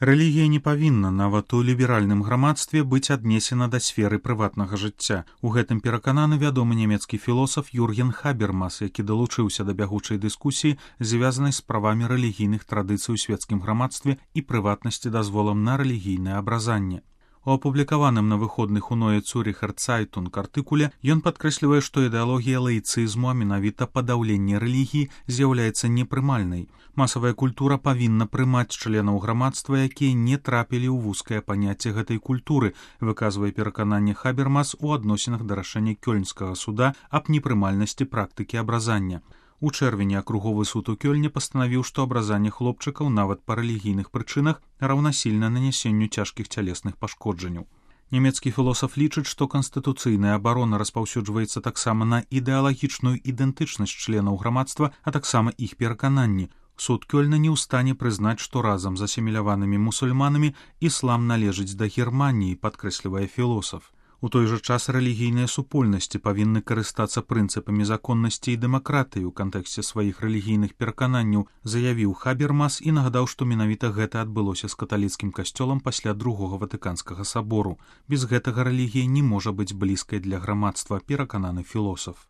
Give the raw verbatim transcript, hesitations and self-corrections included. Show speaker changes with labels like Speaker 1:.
Speaker 1: Рэлігія не павінна нават у ліберальным грамадстве быць аднесена да сферы прыватнага жыцця. У гэтым перакананы вядомы нямецкі філосаф Юрген Хабермас, які далучыўся да бягучай дыскусіі, звязанай з правамі рэлігійных традыцый у свецкім грамадстве і прыватнасці дазволам на рэлігійнае абразанне. У апублікаваным на выходных у Neue Zürcher Zeitung артыкуле ён падкрэслівае, што ідэалогія лаіцызму, а менавіта падаўленне рэлігіі, з'яўляецца непрымальнай. Масавая культура павінна прымаць членаў грамадства, якія не трапілі ў вузкае паняцце гэтай культуры, выказвае перакананне Хабермас у адносінах да рашэння Кёльнскага суда аб непрымальнасці практыкі абразання. У чэрвені акруговы суд у Кёльне пастанавіў, што абразанне хлопчыкаў нават па рэлігійных прычынах раўнасільна нанясенню цяжкіх цялесных пашкоджанняў. Нямецкі філосаф лічыць, што канстытуцыйная абарона распаўсюджваецца таксама на ідэалагічную ідэнтычнасць членаў грамадства, а таксама іх перакананні. Суд Кёльна не ў стане прызнаць, што разам з асіміляванымі мусульманамі іслам належыць да Германіі, падкрэслівае філосаф. У той жа час рэлігійныя супольнасці павінны карыстацца прынцыпамі законнасці і дэмакратыі ў кантэксце сваіх рэлігійных перакананняў, заявіў Хабермас і нагадаў, што менавіта гэта адбылося з каталіцкім касцёлам пасля другога ватыканскага сабору. Без гэтага рэлігія не можа быць блізкай для грамадства, перакананы філосаф.